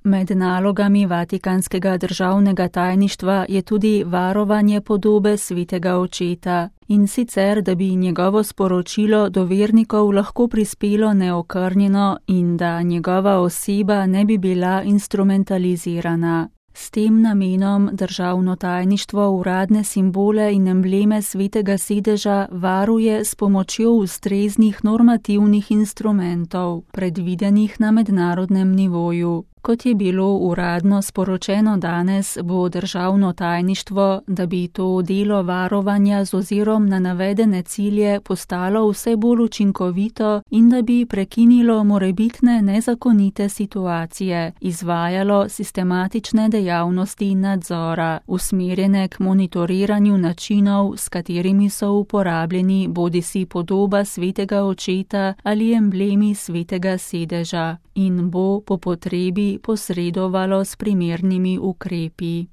Med nalogami Vatikanskega državnega tajništva je tudi varovanje podobe svetega očeta, in sicer, da bi njegovo sporočilo do vernikov lahko prispelo neokrnjeno in da njegova oseba ne bi bila instrumentalizirana. S tem namenom državno tajništvo uradne simbole in embleme svetega sedeža varuje s pomočjo ustreznih normativnih instrumentov, predvidenih na mednarodnem nivoju. Kot je bilo uradno sporočeno danes, bo državno tajništvo, da bi to delo varovanja z ozirom na navedene cilje postalo vse bolj učinkovito in da bi prekinilo morebitne nezakonite situacije, izvajalo sistematične dejavnosti nadzora, usmerjene k monitoriranju načinov, s katerimi so uporabljeni bodisi podoba svetega očeta ali emblemi svetega sedeža, in bo po potrebi posredovalo s primernimi ukrepi.